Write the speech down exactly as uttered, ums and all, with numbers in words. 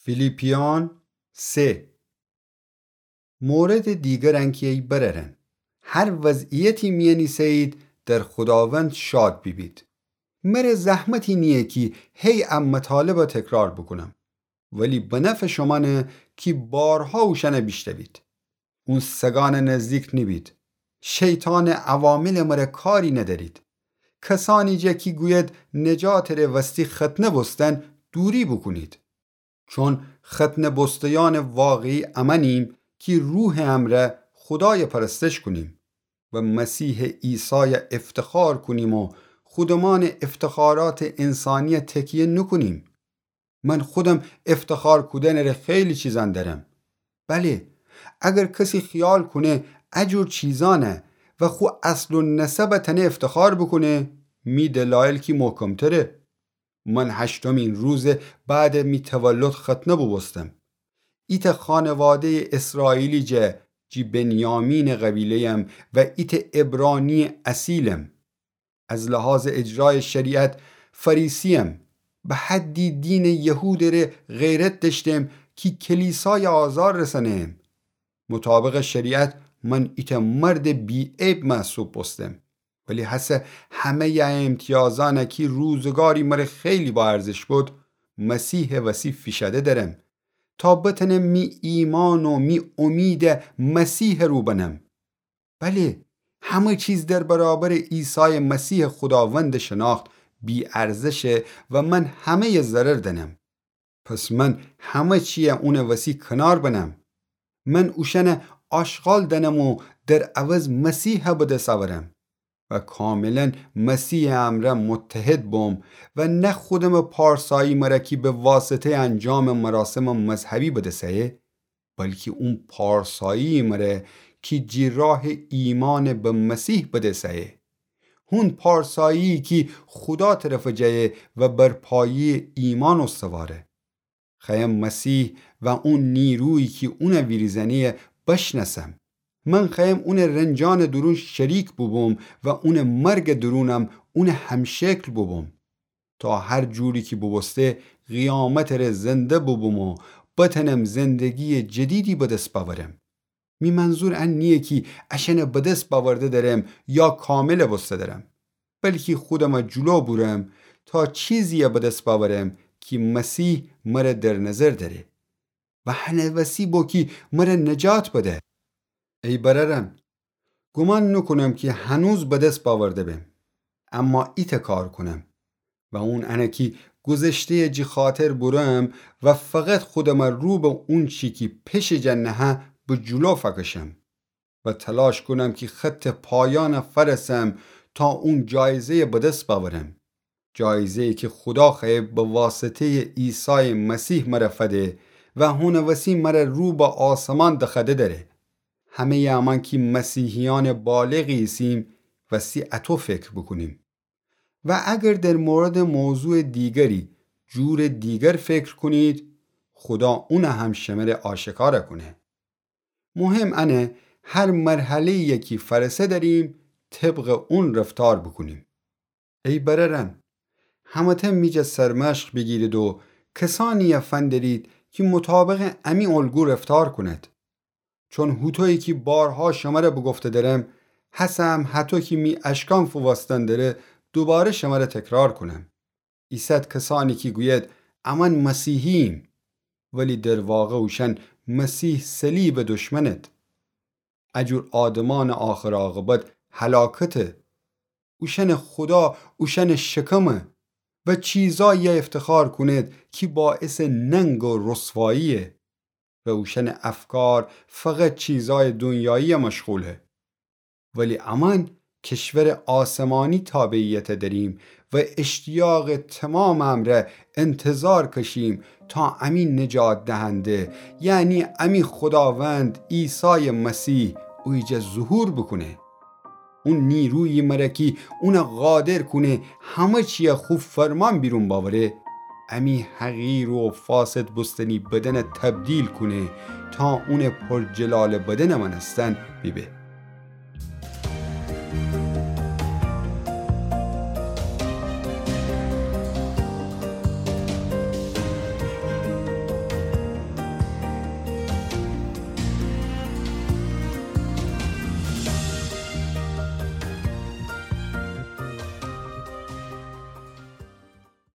فیلیپیان سه. موردٚ دیگر انکی ای برأرأن، هر وضعیتی میأن ایسه‌یید، در خوداوند شاد بیبید. مره زحمتی نییه کی هی ا مطالبَ تکرار بوکونم، ولی به نفعٚ شومأنه کی بارها اوشأنَ بیشنوید. اون سگأنٚ نزدیک نیبید. شیطانٚ عواملٚ مره کاری ندأرید. کسأنی جا کی گوید نجاتٚ ره وستی ختنه بوستن، دوری بوکونید. چون ختنه بوسته‌یأنٚ واقعی امأنیم کی روحٚ امرأ خودایَ پرستش کونیم و مسیحٚ عیسایَ افتخار کونیم و خودمأنٚ افتخاراتٚ انسانیَ تکیه نوکونیم. من خودم افتخار کودنٚ ره خیلی چیزأن دأرم. بله، اگر کسی خیال کونه ا جور چیزأنَ و خو اصل و نسبَ تأنه افتخار بوکونه، می دلایل کی محکم‌تره. من هشتمین روزٚ بعدٚ می تولد ختنه بوبوستم. ایتأ خانواده‌یٚ اسرائیلی جه، جی بنیامینٚ قبیله‌یم و ایتأ عبرانی‌یٚ اصیلم. از لحاظٚ اجرایٚ شریعت فریسی‌یم، به حدی دینٚ یهودٚ ره غیرت دأشتم کی کلیسایَ آزار رسأنم. مطابقٚ شریعت من ایتأ مردٚ بی‌عیب محسوب بوستم. ولی هسه همه‌یٚ ا امتیازأنَ کی روزگاری مره خیلی با ارزش بد، مسیحٚ وسی فیشأده دأرم، تا بتأنم می ایمأن و می امیدَ مسیحٚ رو بنم. بله، همه چیز در برابرٚ عیسایٚ مسیحٚ خوداوندٚ شناخت بی‌ارزشه و من همه‌یٚ ضرر دأنم. پس من همه چیَ اونٚ وسی کنار بنم. من اوشأنَ آشغال دأنم و در عوض مسیحَ به دس اورم و کاملاً مسیحٚ امرأ متحد بوم و نه خودمٚ پارسایی مره کی به واسطه‌یٚ انجامٚ مراسمٚ مذهبی به دس ایه، بلکی اون پارسایی مره کی جی راهٚ ایمأنٚ به مسیح به دس ایه. هون پارسایی کی خودا طرفٚ جا ایه و بر پایه‌یٚ ایمأن استواره. خوأیم مسیح و اون نیرویی کی اونَ ویریزأنه‌یه بشنأسم. من خوأیم اونٚ رنجأنٚ دورون شریک بوبوم و اونٚ مرگٚ دورونم اونٚ همشکل بوبوم، تا هر جوری کی بوبوسته قیامتٚ ره زنده بوبوم و بتأنم زندگییٚ جدیدی به دس بأورم. می منظور ان نییه کی اشأنَ به دس بأورده دأرم یا کاملَ بوسته دأرم، بلکی خودمَ جلو بورم تا چیزیی به دس بأورم کی مسیح مره در نظر دأره و هنٚ وسی بو کی مره نجات بده. ای برأرأن، گومان نوکونم کی هنوز به دس بأورده بم، اما ایتأ کار کونم و اون انه کی گذشته‌یَ جی خاطر بورم و فقط خودمَ رو به اونچی کی پشٚ جا نهه به جلو فأکشم و تلاش کونم کی خطٚ پایأنَ فأرسم تا اون جایزه‌یَ به دس بأورم. جایزه‌یی کی خودا خوأیه به واسطه‌یٚ عیسایٚ مسیح مره فده و هونٚ وسی مره رو به آسمان دخوأده دأره. همه‌یٚ امأن کی مسیحیأنٚ بالغی ایسیم وستی اطو فکر بوکونیم. و اگر در موردٚ موضوعٚ دیگری جورٚ دیگر فکر کونید، خودا اونَ هم شمره آشکار کونه. مهم انه هر مرحله‌یی کی فأرسه دأریم، طبقٚ اون رفتار بوکونیم. ای برأرأن، همه‌تأن می جا سرمشق بیگیرید و کسأنیی فندرید کی مطابقٚ امی الگو رفتار کونید. چون هوطویی کی بارها شمره بوگفته دأرم، هسه هم هطو کی می اشکأن فووستن دره، دوباره شمره تکرار کونم. ایسد کسأنی کی گوید امأن مسیحییم، ولی در واقع اوشأن مسیح صلیبٚ دشمنید. ا جور آدمأنٚ آخر عاقبت هلاکته. اوشأنٚ خودا اوشأنٚ شکمه و چیزاییی افتخار کونید کی باعثٚ ننگ و رسواییه و اوشأنٚ افکار فقط چیزایٚ دونیاییی مشغوله. ولی امأن کشورٚ آسمانی تابعیت دأریم و اشتیاقٚ تومامٚ امرأ انتظار کشیم تا امی نجات دهنده، یعنی امی خوداوند عیسایٚ مسیح اویجا ظهور بوکونه. اون نیرویی مره کی اونَ قادر کونه همه چیی خو فرمان بیرون بأوره، امی حقیر و فاسد بوستنی بدنَ تبدیل کونه تا اونٚ پرجلالٚ بدنٚ مأنستن بیبه.